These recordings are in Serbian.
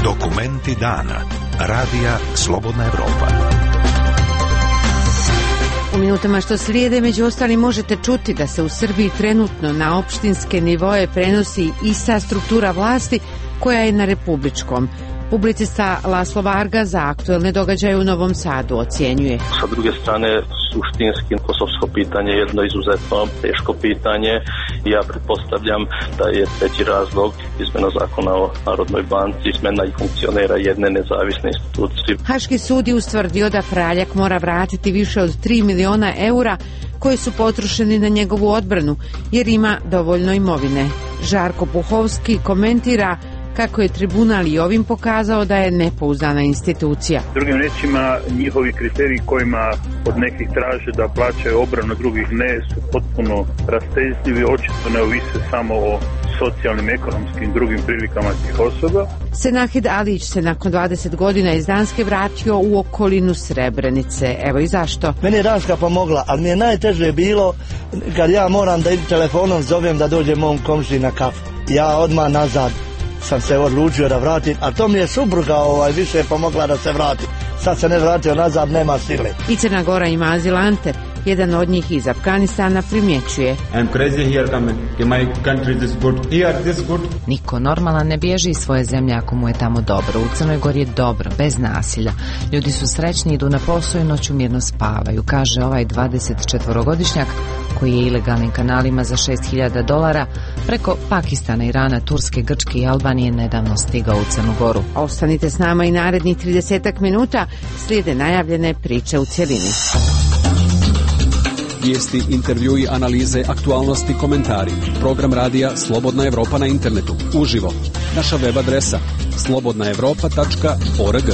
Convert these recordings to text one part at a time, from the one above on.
Dokumenti dana. Radija Slobodna Evropa. U minutama što slijede, među ostalim, možete čuti da se u Srbiji trenutno na opštinske nivoe prenosi ista struktura vlasti koja je na republičkom. Publicista Laslo Varga za aktuelne događaje u Novom Sadu ocjenjuje. Sa druge strane, suštinski kosovsko pitanje je jedno izuzetno teško pitanje i ja pretpostavljam da je treći razlog izmena zakona o Narodnoj banci, izmena i funkcionera jedne nezavisne institucije. Haški sud je ustvrdio da Praljak mora vratiti više od 3 miliona eura koji su potrošeni na njegovu odbranu jer ima dovoljno imovine. Žarko Puhovski komentira kako je tribunal i ovim pokazao da je nepouzdana institucija. Drugim rečima, njihovi kriteriji kojima od nekih traže da plaćaju obranu, drugih ne, su potpuno rastezljivi, očito ne ovise samo o socijalnim, ekonomskim, drugim prilikama tih osoba. Senahid Alić se nakon 20 godina iz Danske vratio u okolinu Srebrenice. Evo i zašto. Meni je Danska pomogla, ali mi je najteže bilo kad ja moram da idem telefonom zovem da dođe mom komšiji na kafu. Ja odmah nazad sam se odlučio da vratim, a to mi je supruga više pomogla da se vratim. Sad se ne vratio nazad, nema sile. I Crna Gora ima azilante. Jedan od njih iz Afganistana primjećuje. Niko normalan ne bježi iz svoje zemlje ako mu je tamo dobro. U Crnoj Gori je dobro, bez nasilja. Ljudi su srećni, idu na posao i noću mirno spavaju, kaže ovaj 24-godišnjak koji je ilegalnim kanalima za $6.000 preko Pakistana, Irana, Turske, Grčke i Albanije nedavno stigao u Crnu Goru. Ostanite s nama i narednih 30 minuta, slijede najavljene priče u cjelini. Vijesti, intervjui, analize, aktualnosti, komentari. Program radija Slobodna Evropa na internetu. Uživo. Naša web adresa slobodnaevropa.org.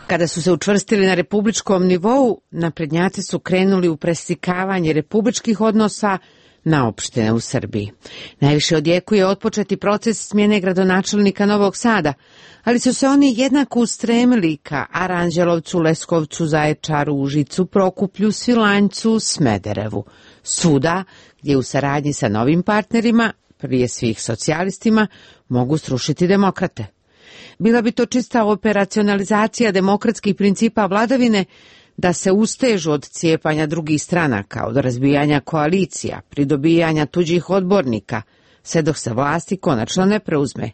Kada su se učvrstili na republičkom nivou, naprednjaci su krenuli u preslikavanje republičkih odnosa na opštine u Srbiji. Najviše odjekuje otpočeti proces smjene gradonačelnika Novog Sada, ali su se oni jednako ustremili ka Aranđelovcu, Leskovcu, Zaječaru, Užicu, Prokuplju, Svilajncu, Smederevu. Svuda gdje u saradnji sa novim partnerima, prije svih socijalistima, mogu srušiti demokrate. Bila bi to čista operacionalizacija demokratskih principa vladavine, da se ustežu od cijepanja drugih stranaka, od razbijanja koalicija, pridobijanja tuđih odbornika, sve dok se vlasti konačno ne preuzme.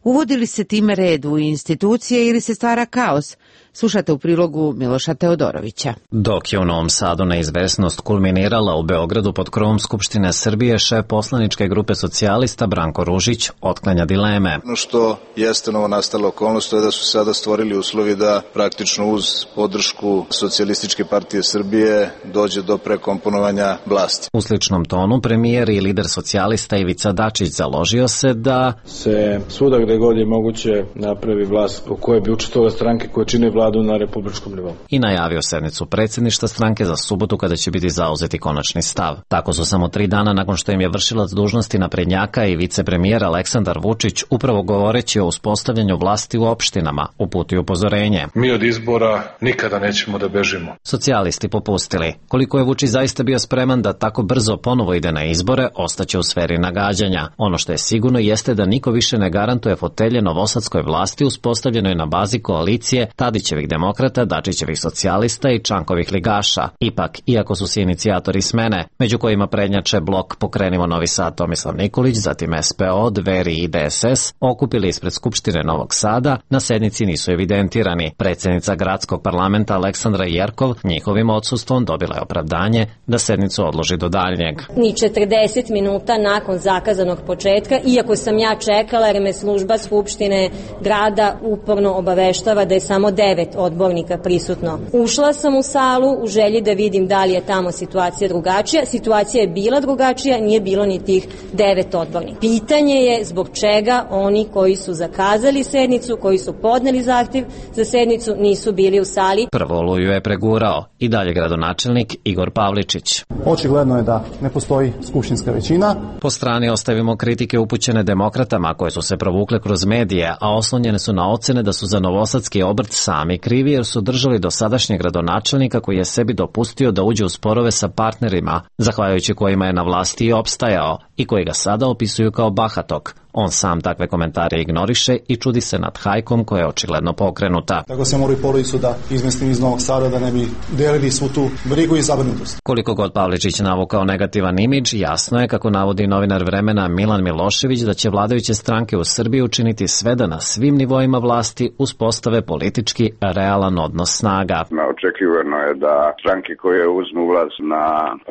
Uvodi li se time red u institucije ili se stvara kaos? Slušate u prilogu Miloša Teodorovića. Dok je u Novom Sadu neizvesnost kulminirala, u Beogradu pod krovom Skupštine Srbije šef poslaničke grupe socijalista Branko Ružić otklanja dileme. Ono što jeste novonastala okolnost je da su sada stvorili uslovi da praktično uz podršku Socijalističke partije Srbije dođe do prekomponovanja vlasti. U sličnom tonu premijer i lider socijalista Ivica Dačić založio se da se svuda gde god je moguće napravi vlast po kojoj bi učestvovale stranke koje čine vladu na republičkom nivou. I najavio sednicu predsjedništva stranke za subotu kada će biti zauzeti konačni stav. Tako su samo 3 dana nakon što im je vršilac dužnosti naprednjaka i vicepremijer Aleksandar Vučić, upravo govoreći o uspostavljanju vlasti u opštinama, uputio upozorenje. Mi od izbora nikada nećemo da bežimo. Socijalisti popustili. Koliko je Vučić zaista bio spreman da tako brzo ponovo ide na izbore, ostaće u sferi nagađanja. Ono što je sigurno jeste da niko više ne garantuje fotelje novosadskoj vlasti uspostavljenoj na bazi koalicije Tadićevih demokrata, Dačićevih socijalista i Čankovih ligaša. Ipak, iako su se inicijatori smene, među kojima prednjače blok Pokrenimo Novi Sad Tomislav Nikolić, zatim SPO, Dveri i DSS, okupili ispred Skupštine Novog Sada, na sednici nisu evidentirani. Predsjednica gradskog parlamenta Aleksandra Jerkov njihovim odsustvom dobila je opravdanje da sednicu odloži do daljnjeg. Ni 40 minuta nakon zakazanog početka, iako sam ja čekala jer me služba Skupštine grada uporno obaveštava da je samo 9 odbornika prisutno. Ušla sam u salu u želji da vidim da li je tamo situacija drugačija. Situacija je bila drugačija, nije bilo ni tih 9 odbornika. Pitanje je zbog čega oni koji su zakazali sednicu, koji su podneli zahtjev za sednicu, nisu bili u sali. Prvo oluju je pregurao i dalje gradonačelnik Igor Pavličić. Očigledno je da ne postoji skupštinska većina. Po strani ostavimo kritike upućene demokratama koje su se provukle kroz medije, a oslonjene su na ocene da su za novosadski obrt sami krivi jer su držali dosadašnjeg gradonačelnika koji je sebi dopustio da uđe u sporove sa partnerima, zahvaljujući kojima je na vlasti i opstajao, i koji ga sada opisuju kao bahatog. On sam takve komentare ignoriše i čudi se nad hajkom koja je očigledno pokrenuta. Tako se mora i porodicu da izmestim iz Novog Sada da ne bi delili svu tu brigu i zabrinutost. Koliko god Pavličić navukao negativan imidž, jasno je, kako navodi novinar Vremena Milan Milošević, da će vladajuće stranke u Srbiji učiniti sve da na svim nivoima vlasti uspostave politički realan odnos snaga. Očekivano je da stranke koje uzmu vlast na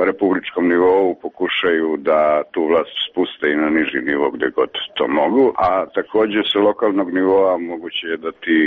republičkom nivou pokušaju da tu vlast spuste i na niži nivo gde god to mogu, a takođe sa lokalnog nivoa moguće je da ti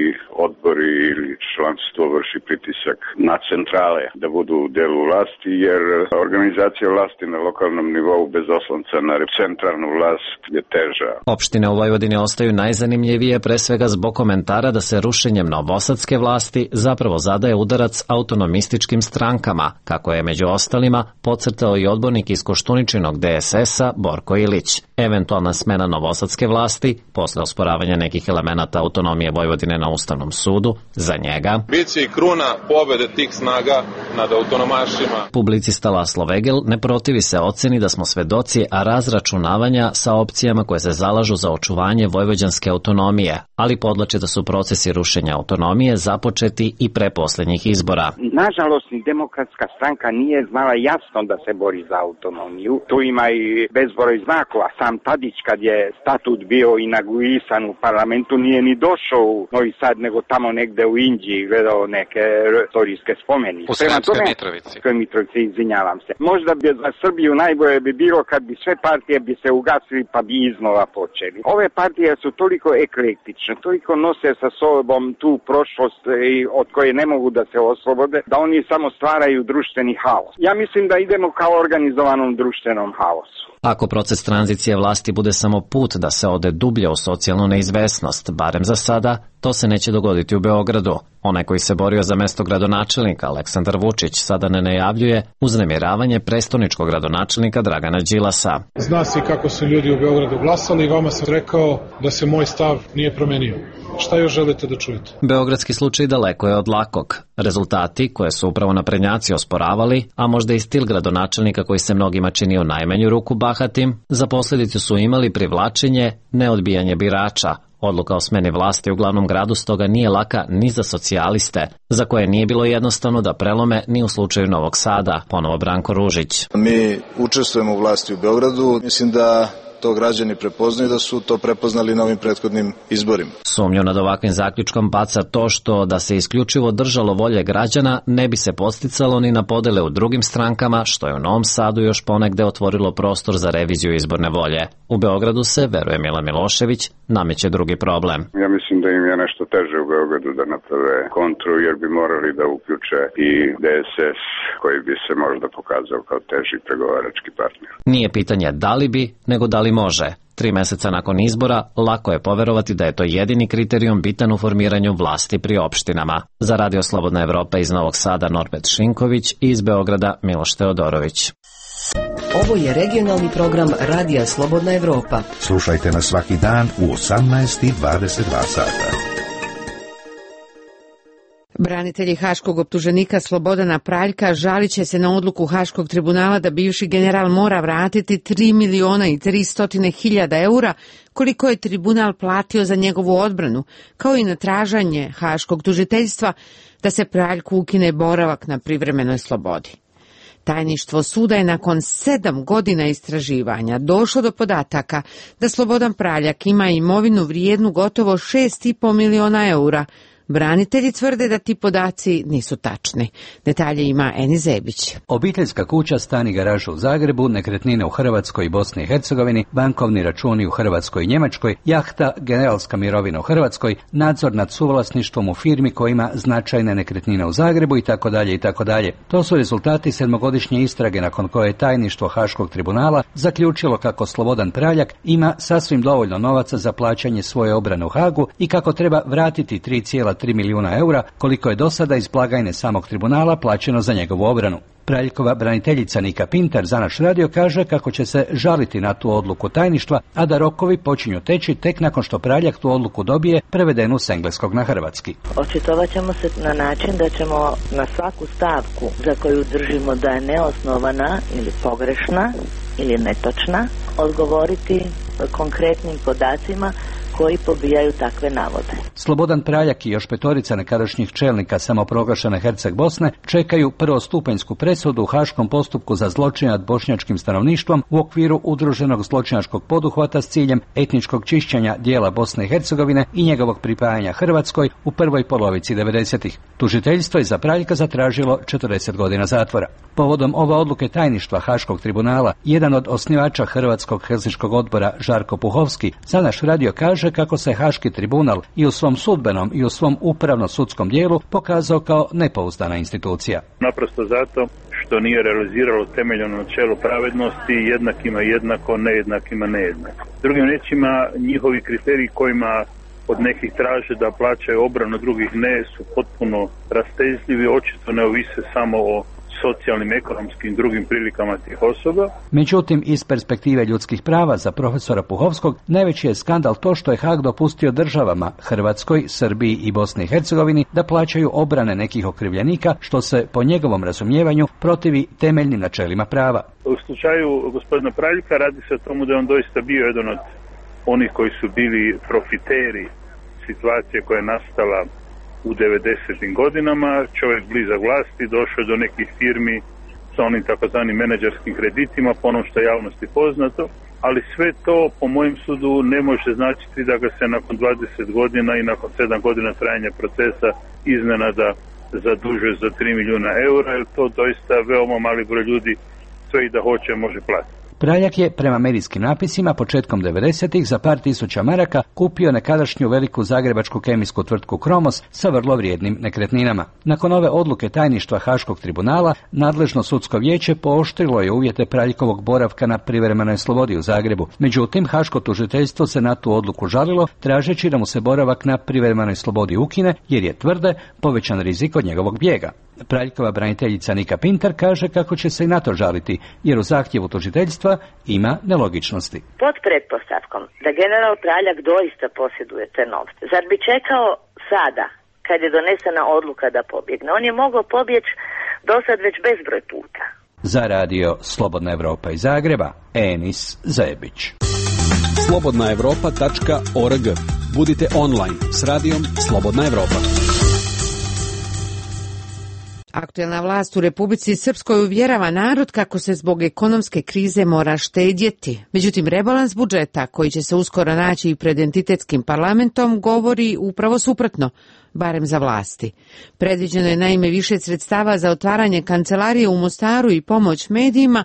odbori ili članstvo vrši pritisak na centrale da budu u delu vlasti, jer organizacija vlasti na lokalnom nivou bez oslonca na centralnu vlast je teža. Opštine u Vojvodini ostaju najzanimljivije pre svega zbog komentara da se rušenjem novosadske vlasti zapravo zadaje udarac autonomističkim strankama, kako je među ostalima podcrtao i odbornik iz Koštuničinog DSS-a Borko Ilić. Eventualna smena novosadske vlasti, posle osporavanja nekih elemenata autonomije Vojvodine na Ustavnom sudu, za njega biće i kruna pobede tih snaga nad autonomašima. Publicista Laslo Vegel ne protivi se oceni da smo svedoci razračunavanja sa opcijama koje se zalažu za očuvanje vojvođanske autonomije, ali podlače da su procesi rušenja autonomije započeti i pre poslednjih izbora. Nažalost, ni Demokratska stranka nije znala jasno da se bori za autonomiju. Tu ima i bezbroj znakova. Sam Tadić, kad je statut bio inauguisan u parlamentu, nije ni došao u Novi Sad, nego tamo negde u Inđiji gledao neke istorijske spomenike. U Sremskoj Mitrovici. Mitrovici, izvinjavam se. Možda bi za Srbiju najbolje bi bilo kad bi sve partije bi se ugasili pa bi iznova počeli. Ove partije su toliko eklektične, toliko nose sa sobom tu prošlost od koje ne mogu da se oslobode, da oni samo stvaraju društveni haos. Ja mislim da idemo kao organizovanom društvenom haosu. Ako proces tranzicije vlasti bude samo put da se ode dublje u socijalnu neizvesnost, barem za sada, to se neće dogoditi u Beogradu. Onaj koji se borio za mesto gradonačelnika, Aleksandar Vučić, sada ne najavljuje uznemiravanje prestoničkog gradonačelnika Dragana Đilasa. Zna se kako su ljudi u Beogradu glasali i vama sam rekao da se moj stav nije promenio. Šta još želite da čujete? Beogradski slučaj daleko je od lakog. Rezultati koje su upravo naprednjaci osporavali, a možda i stil gradonačelnika koji se mnogima čini u najmanju ruku bahatim, za posledicu su imali privlačenje, neodbijanje birača. Odluka o smeni vlasti u glavnom gradu stoga nije laka ni za socijaliste, za koje nije bilo jednostavno da prelome ni u slučaju Novog Sada, ponovo Branko Ružić. Mi učestvujemo u vlasti u Beogradu, mislim da to građani prepoznaju, da su to prepoznali na ovim prethodnim izborima. Sumnju nad ovakvim zaključkom baca to što da se isključivo držalo volje građana ne bi se podsticalo ni na podele u drugim strankama, što je u Novom Sadu još ponegde otvorilo prostor za reviziju izborne volje. U Beogradu se, veruje Milan Milošević, nameće drugi problem. Ja mislim da im je nešto teže u Beogradu da naprave kontru, jer bi morali da uključe i DSS, koji bi se možda pokazao kao teži pregovarački partner. Nije pitanje da li bi, nego da li može. 3 meseca nakon izbora, lako je poverovati da je to jedini kriterijum bitan u formiranju vlasti pri opštinama. Za Radio Slobodna Evropa iz Novog Sada Norbert Šinković i iz Beograda Miloš Teodorović. Ovo je regionalni program Radija Slobodna Evropa. Slušajte nas svaki dan u 18:22 sata. Branitelji haškog optuženika Slobodana Praljka žalit će se na odluku Haškog tribunala da bivši general mora vratiti 3.300.000 eura koliko je tribunal platio za njegovu odbranu, kao i na tražanje Haškog tužiteljstva da se Praljku ukine boravak na privremenoj slobodi. Tajništvo suda je nakon 7 godina istraživanja došlo do podataka da Slobodan Praljak ima imovinu vrijednu gotovo 6,5 miliona eura. Branitelji tvrde da ti podaci nisu tačni. Detalje ima Eni Zebić. Obiteljska kuća, stan i garaža u Zagrebu, nekretnine u Hrvatskoj i Bosni i Hercegovini, bankovni računi u Hrvatskoj i Njemačkoj, jahta, generalska mirovina u Hrvatskoj, nadzor nad suvlasništvom u firmi koja ima značajne nekretnine u Zagrebu itd. itd. To su rezultati 7-godišnje istrage nakon koje je tajništvo Haškog tribunala zaključilo kako Slobodan Praljak ima sasvim dovoljno novaca za plaćanje svoje obrane u Hagu i kako treba vratiti 3,3 milijuna eura, koliko je do sada iz blagajne samog tribunala plaćeno za njegovu obranu. Praljkova braniteljica Nika Pintar za naš radio kaže kako će se žaliti na tu odluku tajništva, a da rokovi počinju teći tek nakon što Praljak tu odluku dobije prevedenu s engleskog na hrvatski. Očitovat ćemo se na način da ćemo na svaku stavku za koju držimo da je neosnovana ili pogrešna ili netočna, odgovoriti konkretnim podacima koji pobijaju takve navode. Slobodan Praljak i još 5 nekadašnjih čelnika samoproglašene Herceg Bosne čekaju prvostupanjsku presudu u haškom postupku za zločin nad bošnjačkim stanovništvom u okviru udruženog zločinačkog poduhvata s ciljem etničkog čišćenja dijela Bosne i Hercegovine i njegovog pripajanja Hrvatskoj u prvoj polovici 90-ih. Tužiteljstvo je za Praljka zatražilo 40 godina zatvora. Povodom ove odluke tajništva Haškog tribunala, jedan od osnivača Hrvatskog helsinškog odbora, Žarko Puhovski, za naš radio kaže kako se Haški tribunal i u svom sudbenom i u svom upravno-sudskom dijelu pokazao kao nepouzdana institucija. Naprosto zato što nije realiziralo temeljeno načelo pravednosti, jednakima jednako, nejednakima nejednako. Drugim riječima, njihovi kriteriji kojima od nekih traže da plaćaju obranu, drugih ne, su potpuno rastezljivi, očito ne ovise samo o socijalnim, ekonomskim, drugim prilikama tih osoba. Međutim, iz perspektive ljudskih prava za profesora Puhovskog, najveći je skandal to što je Haag dopustio državama Hrvatskoj, Srbiji i Bosni i Hercegovini da plaćaju obrane nekih okrivljenika, što se, po njegovom razumijevanju, protivi temeljnim načelima prava. U slučaju gospodina Praljka radi se o tomu da je on doista bio jedan od onih koji su bili profiteri situacije koja je nastala u 90. godinama, čovjek blizak vlasti, došao do nekih firmi sa onim takozvanim menadžerskim kreditima, po onom što je javnosti poznato, ali sve to, po mojem sudu, ne može značiti da ga se nakon 20 godina i nakon 7 godina trajanja procesa iznenada zadužuje za 3 milijuna eura, jer to doista veoma mali broj ljudi sve i da hoće može platiti. Praljak je, prema medijskim napisima, početkom 90-ih za par tisuća maraka kupio nekadašnju veliku zagrebačku kemijsku tvrtku Kromos sa vrlo vrijednim nekretninama. Nakon ove odluke tajništva Haškog tribunala, nadležno sudsko vijeće pooštrilo je uvjete Praljkovog boravka na privremenoj slobodi u Zagrebu. Međutim, Haško tužiteljstvo se na tu odluku žalilo, tražeći da mu se boravak na privremenoj slobodi ukine, jer je, tvrde, povećan rizik od njegovog bijega. Praljkova braniteljica Nika Pintar kaže kako će se i na to žaliti, jer u zahtjevu tužiteljstva ima nelogičnosti. Pod pretpostavkom da general Praljak doista posjeduje te novce, zar bi čekao sada, kad je donesena odluka da pobjegne? On je mogao pobjeći do sad već bezbroj puta. Za radio Slobodna Evropa iz Zagreba, Enis Zebić. slobodnaevropa.org. Budite online s radijom Slobodna Evropa. Aktuelna vlast u Republici Srpskoj uvjerava narod kako se zbog ekonomske krize mora štedjeti. Međutim, rebalans budžeta, koji će se uskoro naći i pred entitetskim parlamentom, govori upravo suprotno, barem za vlasti. Predviđeno je naime više sredstava za otvaranje kancelarije u Mostaru i pomoć medijima,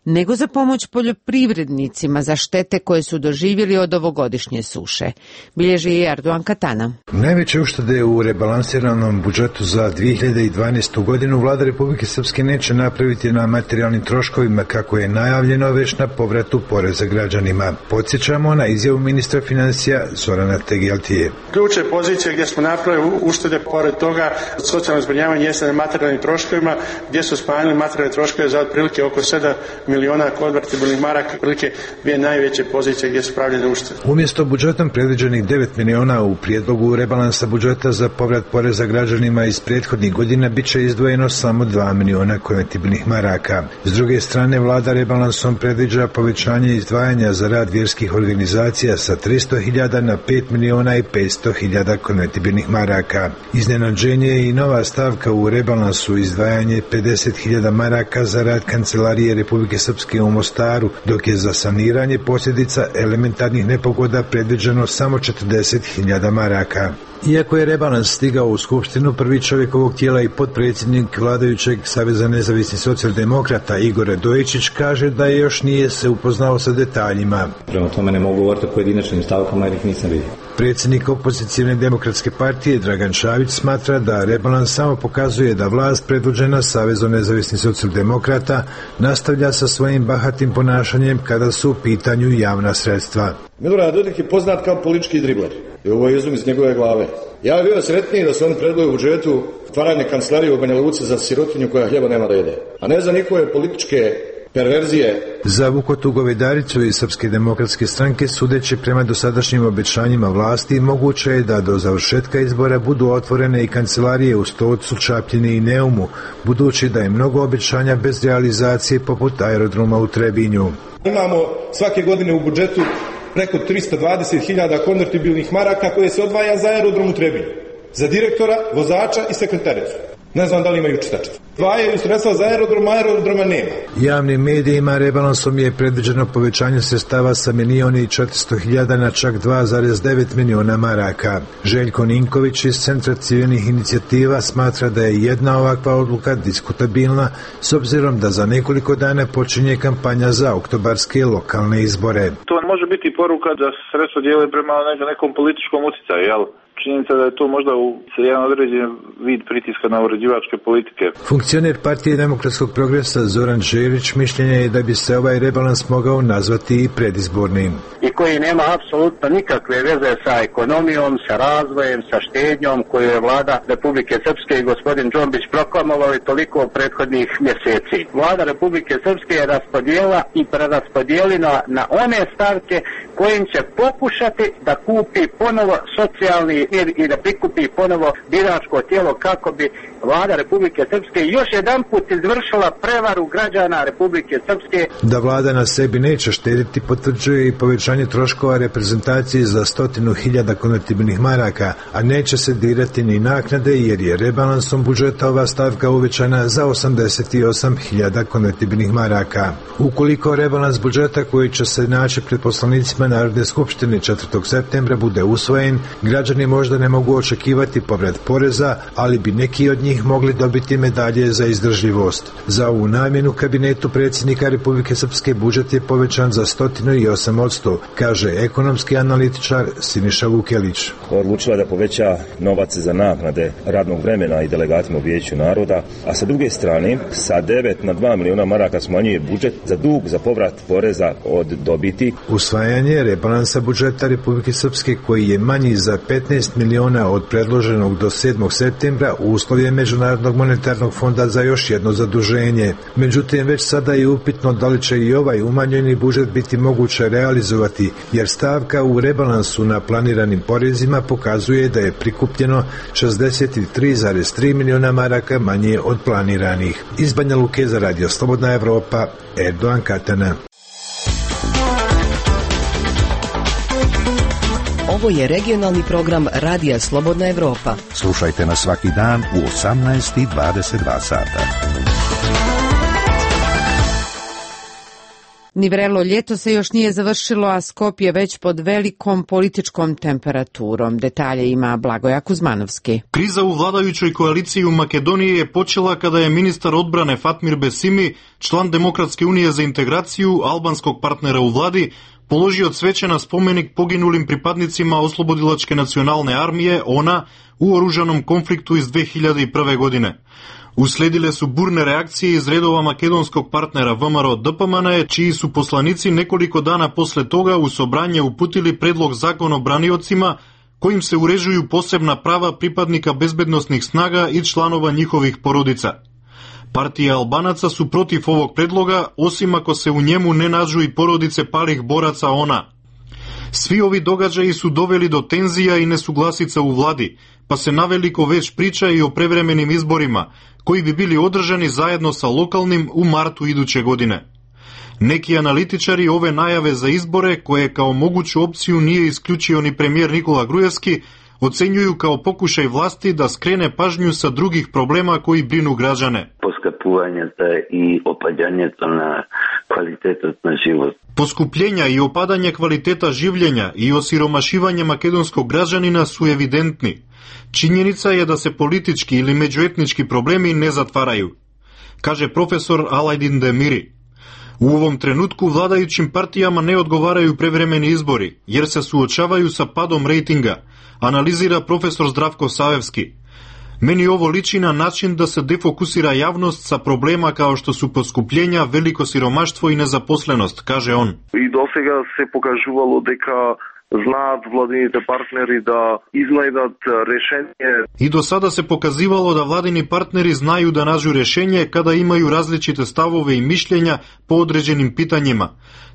nego za pomoć poljoprivrednicima za štete koje su doživjeli od ovogodišnje suše. Bilježi i Erdogan Katana. Najveće uštede u rebalansiranom budžetu za 2012. godinu vlada Republike Srpske neće napraviti na materijalnim troškovima kako je najavljeno, već na povratu poreza građanima. Podsjećamo na izjavu ministra financija Zorana Tegeltije. Ključne pozicije gdje smo napravili uštede, pored toga socijalno zbrinjavanje jeste na materijalnim troškovima, gdje su smanjili materijalne troškove za otprilike oko 7 miliona konvertibilnih maraka, prilike dvije najveće pozicije gdje su pravljene uštede. Umjesto budžetom predviđenih 9 miliona u prijedlogu rebalansa budžeta za povrat poreza građanima iz prethodnih godina bit će izdvojeno samo 2 miliona konvertibilnih maraka. S druge strane, vlada rebalansom predviđa povećanje izdvajanja za rad vjerskih organizacija sa 300.000 na 5 miliona i 500.000 konvertibilnih maraka. Iznenađenje je i nova stavka u rebalansu, izdvajanje 50.000 maraka za rad Kancelarije Republike Srpske u Mostaru, dok je za saniranje posljedica elementarnih nepogoda predviđeno samo 40.000 maraka. Iako je rebalans stigao u Skupštinu, prvi čovjek ovog tijela i potpredsjednik vladajućeg Saveza nezavisnih socijaldemokrata Igor Radojičić kaže da još nije se upoznao sa detaljima. Prema tome ne mogu govoriti o pojedinačnim stavkama jer ih nisam vidio. Predsjednik opozicijne demokratske partije Dragan Čavić smatra da rebalans samo pokazuje da vlast predvođena Savezom nezavisnih socijaldemokrata nastavlja sa svojim bahatim ponašanjem kada su u pitanju javna sredstva. Milorad Dodik je poznat kao politički dribler. I ovo je izum iz njegove glave. Ja bih bio sretniji da se oni predvoju u budžetu otvaranje kancelarije u Banja Luci za sirotinju koja hljeba nema da jede. A ne za njihove političke perverzije. Za Vukotu Govedaricu i Srpske demokratske stranke, sudeći prema dosadašnjim obećanjima vlasti, moguće je da do završetka izbora budu otvorene i kancelarije u Stocu, Čapljini i Neumu, budući da je mnogo obećanja bez realizacije poput aerodroma u Trebinju. Imamo svake godine u budžetu preko 320.000 konvertibilnih maraka koje se odvaja za aerodrom u Trebinju. Za direktora, vozača i sekretaricu. Ne znam da li imaju čitačstvo. Dvajaju sredstva za aerodroma nema. Javnim medijima rebalansom je predviđeno povećanje sredstava sa 1.400.000 na čak 2,9 miliona maraka. Željko Ninković iz Centra civilnih inicijativa smatra da je jedna ovakva odluka diskutabilna s obzirom da za nekoliko dana počinje kampanja za oktobarske lokalne izbore. To može biti poruka da se sredstva dijele prema nekom političkom utjecaju, jel? Činjenica da je to možda jedan određen vid pritiska na uređivačke politike. Funkcioner Partije demokratskog progresa Zoran Želić mišljenja je da bi se ovaj rebalans mogao nazvati i predizbornim. I koji nema apsolutno nikakve veze sa ekonomijom, sa razvojem, sa štednjom koju je vlada Republike Srpske i gospodin Džombić proklamovali toliko prethodnih mjeseci. Vlada Republike Srpske je raspodijela i preraspodijelila na one stavke kojim će pokušati da kupi ponovo socijalni i da prikupi ponovo biračko tijelo kako bi vlada Republike Srpske još jedan put izvršila prevaru građana Republike Srpske. Da vlada na sebi neće štediti potvrđuje i povećanje troškova reprezentacije za 100.000 konvertibilnih maraka, a neće se dirati ni naknade jer je rebalansom budžeta ova stavka uvećana za 88.000 konvertibilnih maraka. Ukoliko rebalans budžeta koji će se naći pred poslanicima Narodne skupštine 4. septembra bude usvojen, građani možda ne mogu očekivati povrat poreza, ali bi neki od njih mogli dobiti medalje za izdržljivost. Za ovu namjenu kabinetu predsjednika Republike Srpske budžet je povećan za 108%, kaže ekonomski analitičar Siniša Vukelić. Odlučila da poveća novac za naknade radnog vremena i delegatima u Vijeću naroda, a sa druge strane sa 9 na 2 miliona maraka smanjuje budžet za dug za povrat poreza od dobiti. Usvajanje rebalansa budžeta Republike Srpske koji je manji za 15 miliona od predloženog do 7. septembra uslov je Međunarodnog monetarnog fonda za još jedno zaduženje. Međutim, već sada je upitno da li će i ovaj umanjeni budžet biti moguće realizovati, jer stavka u rebalansu na planiranim porezima pokazuje da je prikupljeno 63,3 miliona maraka manje od planiranih. Iz Banja Luke za Radio Slobodna Evropa, Erdogan Katana. Ovo je regionalni program Radija Slobodna Evropa. Slušajte nas svaki dan u 18:22 sata. Ni vrelo ljeto se još nije završilo, a Skopje već pod velikom političkom temperaturom. Detalje ima Blagoja Kuzmanovski. Kriza u vladajućoj koaliciji u Makedoniji je počela kada je ministar odbrane Fatmir Besimi, član Demokratske unije za integraciju, albanskog partnera u vladi, položio cveće na spomenik poginulim pripadnicima Oslobodilačke nacionalne armije, ONA, u oružanom konfliktu iz 2001. godine. Usledile su burne reakcije iz redova makedonskog partnera VMRO DPMNE, čiji su poslanici nekoliko dana posle toga u Sobranje uputili predlog zakona o braniocima, kojim se uređuju posebna prava pripadnika bezbednosnih snaga i članova njihovih porodica. Partije Albanaca su protiv ovog predloga, osim ako se u njemu ne nađu i porodice palih boraca ONA. Svi ovi događaji su doveli do tenzija i nesuglasica u vladi, pa se naveliko već priča i o prevremenim izborima, koji bi bili održani zajedno sa lokalnim u martu iduće godine. Neki analitičari ove najave za izbore, koje kao moguću opciju nije isključio ni premijer Nikola Grujevski, ocenjuju kao pokušaj vlasti da skrene pažnju sa drugih problema koji brinu građane. I opadanje na kvalitetu na život. Poskupljenja i opadanje kvaliteta življenja i osiromašivanje makedonskog građanina su evidentni. Činjenica je da se politički ili međuetnički problemi ne zatvaraju, kaže profesor Alajdin Demiri. U ovom trenutku vladajućim partijama ne odgovaraju prevremeni izbori, jer se suočavaju sa padom rejtinga, analizira profesor Zdravko Savevski. Meni ovo liči na način da se defokusira javnost sa problema kao što su poskupljenja, veliko siromaštvo i nezaposlenost, kaže on. I do сега se pokažuvalo deka знаат владините партнери да изнајдат решение. И до сада се показивало да владини партнери знају да наđu решение када имају различите ставове и мишлења по одреđenim питањима,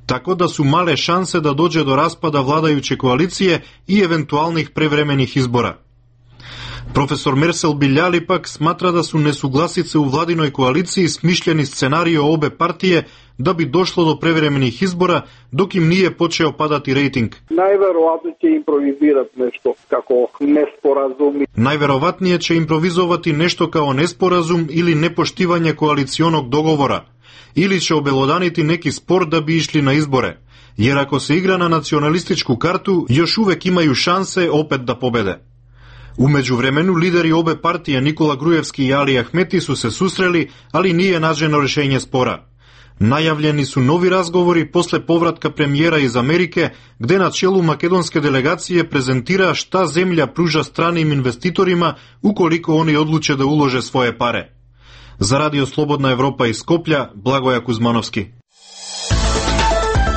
тако да су мале шансе да доđe до распада владајуче коалиције и евентуалних превремених избора. Професор Мерсел Билјали пак сматра да су несугласице у владиној коалицији смишљени сценарио обе партије да би дошло до превремених избора, док им nije почео падати рейтинг. Најверојатно ќе импровизират нешто како неспоразум. Најверојатније ќе импровизовати нешто као неспоразум или непоштивање коалиционог договора, или ќе обелоданити неки спор да би ишли на изборе, јер ако се игра на националистичку карту, још увек имају шансе опет да победе. У меđувремену лидери обе партија Никола Груевски и Али Ахмети су се сусрели, али nije nađeno решење спора. Најавljeni су нови разговори после повратка премиера из Америке, где на челу македонске делегације презентира шта земља пружа страним инвеститорима уколико они одлуче да уложе своје паре. За Радио Слободна Европа из Скопља, Благоја Кузмановски.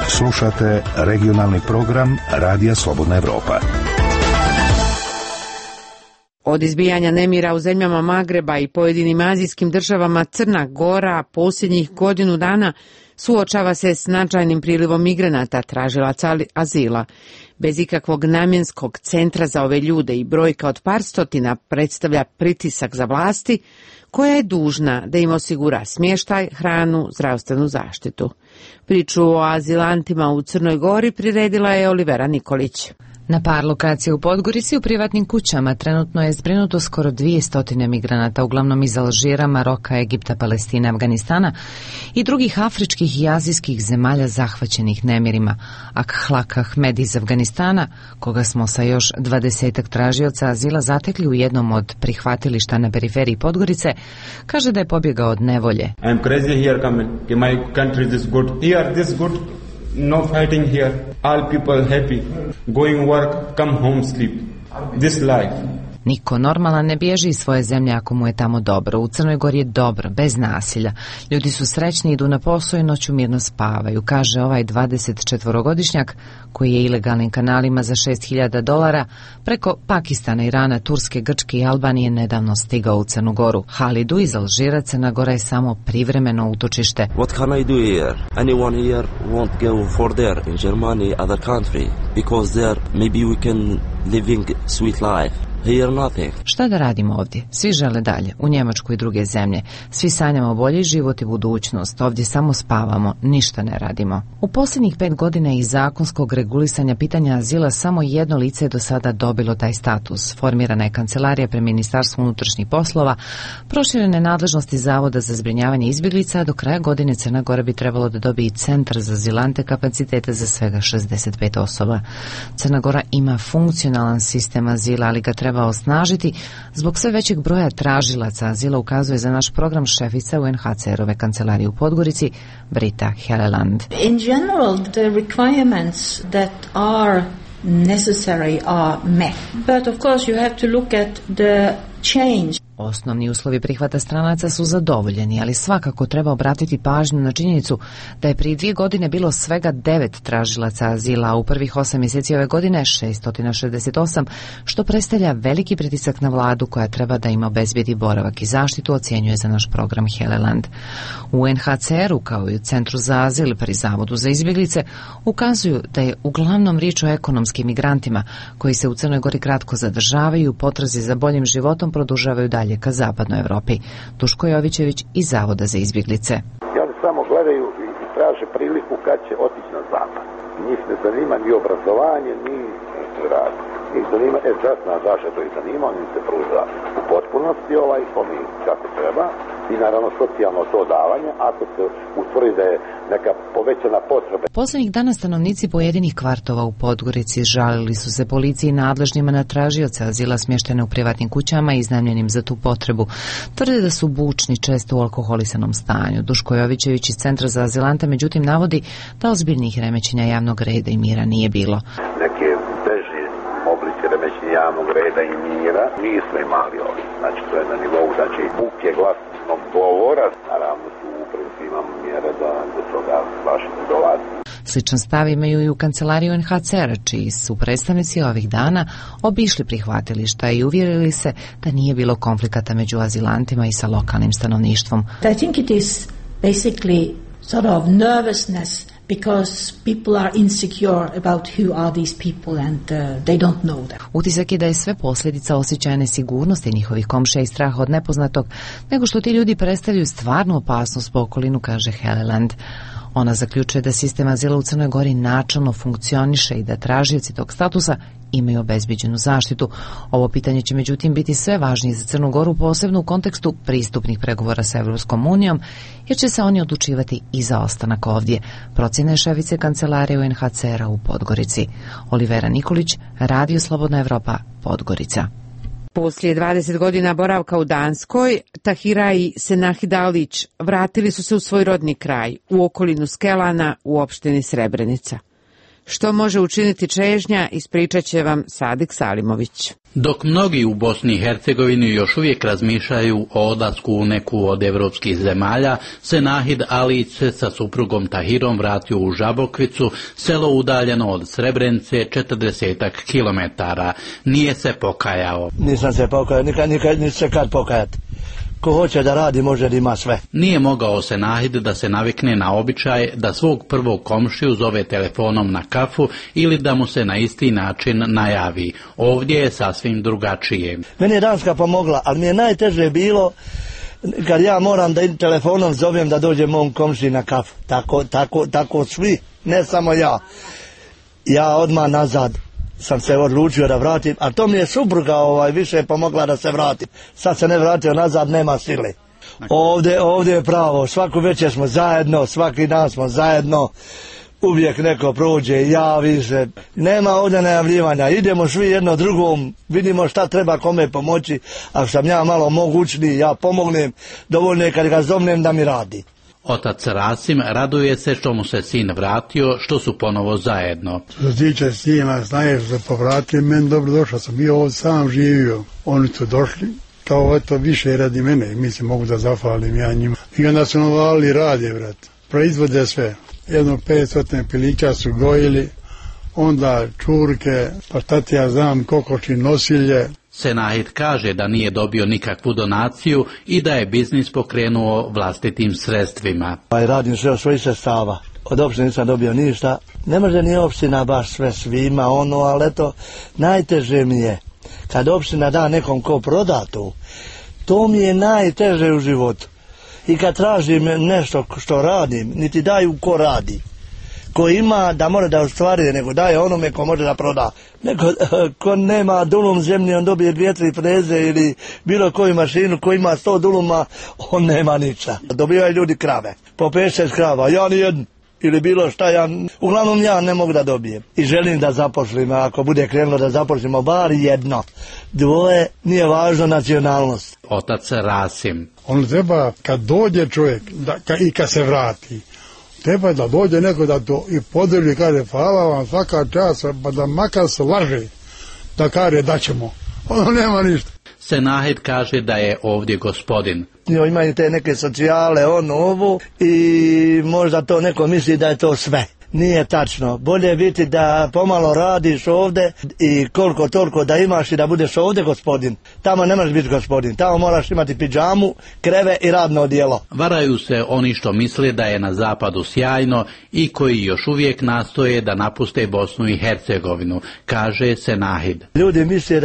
Слушате регионални програм Радија Слободна Европа. Od izbijanja nemira u zemljama Magreba i pojedinim azijskim državama Crna Gora posljednjih godinu dana suočava se s značajnim prilivom migranata tražilaca azila. Bez ikakvog namjenskog centra za ove ljude i brojka od par stotina predstavlja pritisak za vlasti koja je dužna da im osigura smještaj, hranu, zdravstvenu zaštitu. Priču o azilantima u Crnoj Gori priredila je Olivera Nikolić. Na par lokacija u Podgorici u privatnim kućama trenutno je zbrinuto skoro 200 migranata, uglavnom iz Alžira, Maroka, Egipta, Palestine, Afganistana i drugih afričkih i azijskih zemalja zahvaćenih nemirima. Akhlaq Ahmed iz Afganistana, koga smo sa još 20 tražioca azila zatekli u jednom od prihvatilišta na periferiji Podgorice, kaže da je pobjegao od nevolje. I'm crazy here coming. My country is this good. Here this good. No fighting here. All people happy. Going work, come home, sleep. This life. Niko normalan ne bježi iz svoje zemlje ako mu je tamo dobro. U Crnoj Gori je dobro, bez nasilja. Ljudi su srećni, idu na posao i noću mirno spavaju, kaže ovaj 24-godišnjak koji je ilegalnim kanalima za $6.000 preko Pakistana, Irana, Turske, Grčke i Albanije nedavno stigao u Crnu Goru. Halidu iz Alžira Crna Gora je samo privremeno utočište. What can I do here? Anyone here won't go for there in Germany, other country, because there maybe we can living sweet life. Here nothing. Šta da radimo ovdje? Svi žele dalje, u Njemačku i druge zemlje. Svi sanjamo bolji život i budućnost. Ovdje samo spavamo, ništa ne radimo. U posljednjih 5 godina iz zakonskog regulisanja pitanja azila samo jedno lice je do sada dobilo taj status. Formirana je kancelarija pri Ministarstvu unutrašnjih poslova, proširene nadležnosti Zavoda za zbrinjavanje izbjeglica, a do kraja godine Crna Gora bi trebalo da dobije i centar za azilante kapacitete za svega 65 osoba. Crna Gora ima funkcionalan sistem azila, ali ga treba osnažiti zbog sve većeg broja tražilaca azila, ukazuje za naš program šefica UNHCR-ove kancelarije u Podgorici, Brita Helleland. In general, the requirements that are necessary are met. But of course you have to look at the change. Osnovni uslovi prihvata stranaca su zadovoljeni, ali svakako treba obratiti pažnju na činjenicu da je prije 2 godine bilo svega 9 tražilaca azila, a u prvih 8 mjeseci ove godine 668, što predstavlja veliki pritisak na vladu koja treba da im obezbedi boravak i zaštitu, ocjenjuje za naš program Helleland. U UNHCR-u kao i u Centru za azil pri Zavodu za izbjeglice ukazuju da je uglavnom riječ o ekonomskim migrantima koji se u Crnoj Gori kratko zadržavaju i u potrazi za boljim životom produžavaju dalje ka zapadnoj Evropi. Duško Jovićević iz Zavoda za izbjeglice. I oni samo gledaju i traže priliku kad će otići na zapad. Njih ne zanima ni obrazovanje, ni rad. Njih zanima, časna zaštita to ih zanima, oni se pruža u potpunosti kako treba i naravno socijalno to davanje ako se utvrdi da je neka povećana potreba. Poslednjih dana stanovnici pojedinih kvartova u Podgorici žalili su se policiji i nadležnima na tražioce azila smještene u privatnim kućama iznajmljenim za tu potrebu. Tvrde da su bučni, često u alkoholisanom stanju. Duško Jovićević iz Centra za azilante međutim navodi da ozbiljnih remećenja javnog reda i mira nije bilo. Neke teži oblici remećenja javnog reda i mira nismo imali ovdje. Znači to je na nivou, znači buke glasnog govora, naravno tu u principu imamo mjere da do toga baš ne dolazi. Sličan stav imaju i u kancelariji UNHCR, čiji su predstavnici ovih dana obišli prihvatilišta i uvjerili se da nije bilo konflikata među azilantima i sa lokalnim stanovništvom. I think it is basically sort of nervousness because people are insecure about who are these people and they don't know them. Utisak je da je sve posljedica osjećaja nesigurnosti njihovih komšija i straha od nepoznatog, nego što ti ljudi predstavljaju stvarnu opasnost po okolinu, kaže Heleland. Ona zaključuje da sistem azila u Crnoj Gori načelno funkcioniše i da tražioci tog statusa imaju obezbeđenu zaštitu. Ovo pitanje će međutim biti sve važnije za Crnu Goru, posebno u kontekstu pristupnih pregovora sa Evropskom unijom, jer će se oni odlučivati i za ostanak ovdje. Procjena je šefice kancelarije UNHCR-a u Podgorici. Olivera Nikolić, Radio Slobodna Evropa, Podgorica. Poslije 20 godina boravka u Danskoj, Tahira i Senahid Alić vratili su se u svoj rodni kraj, u okolinu Skelana u opštini Srebrenica. Što može učiniti čežnja, ispričat će vam Sadik Salimović. Dok mnogi u Bosni i Hercegovini još uvijek razmišljaju o odlasku u neku od evropskih zemalja, Senahid Alić se sa suprugom Tahirom vratio u Žabokvicu, selo udaljeno od Srebrenice 40 kilometara. Nije se pokajao. Nisam se pokajao, nikad se kad pokajati. Ko hoće da radi, može da ima sve. Nije mogao Senahid da se navikne na običaj da svog prvog komšiju zove telefonom na kafu ili da mu se na isti način najavi. Ovdje je sasvim drugačije. Meni je Danska pomogla, ali mi je najteže bilo kad ja moram da telefonom zovem da dođe mom komšiji na kafu. Tako svi, ne samo ja. Ja odmah nazad sam se odlučio da vratim, a to mi je supruga više pomogla da se vratim. Sad se ne vratio nazad, nema sile. Ovdje je pravo, svaku večer smo zajedno, svaki dan smo zajedno, uvijek neko prođe, javi se, nema ovdje najavljivanja, idemo svi jedno drugom, vidimo šta treba kome pomoći, ako sam ja malo mogućniji, ja pomognem, dovoljno je kad ga zovnem da mi radi. Otac Rasim raduje se što mu se sin vratio, što su ponovo zajedno. Što se tiče sina, znaš da povratio, meni dobro došao, sam bio ovdje sam živio, oni su došli, kao eto više radi mene, mislim mogu da zahvalim ja njima. I onda su novali rade, brat, proizvode sve, 500 pilića su gojili, onda čurke, pa šta ti ja znam, kokoši, nosilje. Senahid kaže da nije dobio nikakvu donaciju i da je biznis pokrenuo vlastitim sredstvima. Radim sve od svojih sredstava. Od opštine nisam dobio ništa. Ne može ni opština baš sve svima, ali eto, najteže mi je kad opština da nekom ko proda to mi je najteže u životu. I kad tražim nešto što radim, niti daju ko radi. Ko ima da mora da ostvaruje, nego daje onome ko može da proda. Neko ko nema dulum zemlje, on dobije 2-3 freze ili bilo koju mašinu, ko ima 100 duluma, on nema ništa. Dobivaju ljudi krave, po 5-6 krava, ja nijedno. Ili bilo šta, uglavnom ja ne mogu da dobijem. I želim da zaposlimo, ako bude krenulo da zaposlimo bar jedno. Dvoje, nije važno nacionalnost. Otac Rasim. On treba, kad dođe čovjek i kad se vrati, treba da dođe neko da to i podeli, kaže hvala vam svaka čast, pa da makar se laže, da kaže da ćemo. Ono nema ništa. Senahid kaže da je ovdje gospodin. Imaju te neke socijale, ovo, i možda to neko misli da je to sve. Nije tačno. Bolje biti da pomalo radiš ovdje i koliko toliko da imaš i da budeš ovdje gospodin. Tamo ne možeš biti gospodin. Tamo moraš imati pidžamu, kreve i radno odijelo. Varaju se oni što misle da je na zapadu sjajno i koji još uvijek nastoje da napuste Bosnu i Hercegovinu, kaže Senahid. Ljudi misle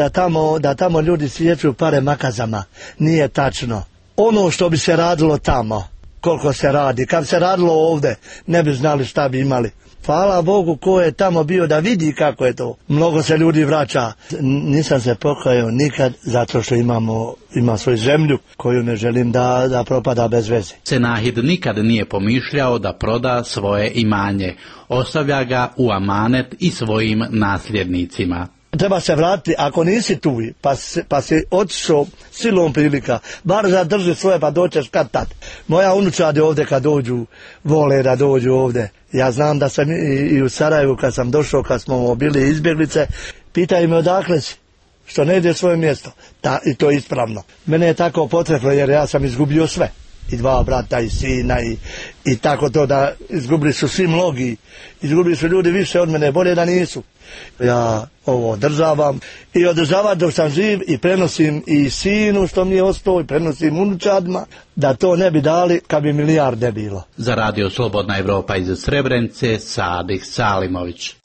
da tamo ljudi svijeću pare makazama. Nije tačno. Ono što bi se radilo tamo, koliko se radi, kad se radilo ovdje, ne bi znali šta bi imali. Hvala Bogu ko je tamo bio da vidi kako je to. Mnogo se ljudi vraća. Nisam se pokajao nikad zato što ima svoju zemlju koju ne želim da propada bez veze. Senahid nikad nije pomišljao da proda svoje imanje. Ostavlja ga u amanet i svojim nasljednicima. Treba se vratiti, ako nisi tu, pa si otišao silom prilika, bar zadrži svoje pa doćeš kad tad. Moja unučadi ovdje kad dođu, vole da dođu ovdje. Ja znam da sam i u Sarajevu kad sam došao, kad smo bili izbjeglice, pitaju me odakle si, što ne ide svoje mjesto. I to je ispravno. Mene je tako potrebno jer ja sam izgubio sve. i 2 brata i sina i tako to da izgubili su svi mnogi, izgubili su ljudi više od mene, bolje da nisu. Ja ovo održavam i održavam dok sam živ i prenosim i sinu što mi je ostao i prenosim unučadima da to ne bi dali kad bi milijarde bilo. Za Radio Slobodna Evropa iz Srebrenice, Sadih Salimović.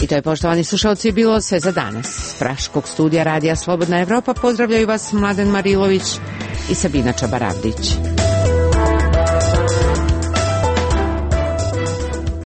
I to je, poštovani slušalci, bilo sve za danas. S Praškog studija Radija Slobodna Evropa pozdravljaju vas Mladen Marilović i Sabina Čabaravdić.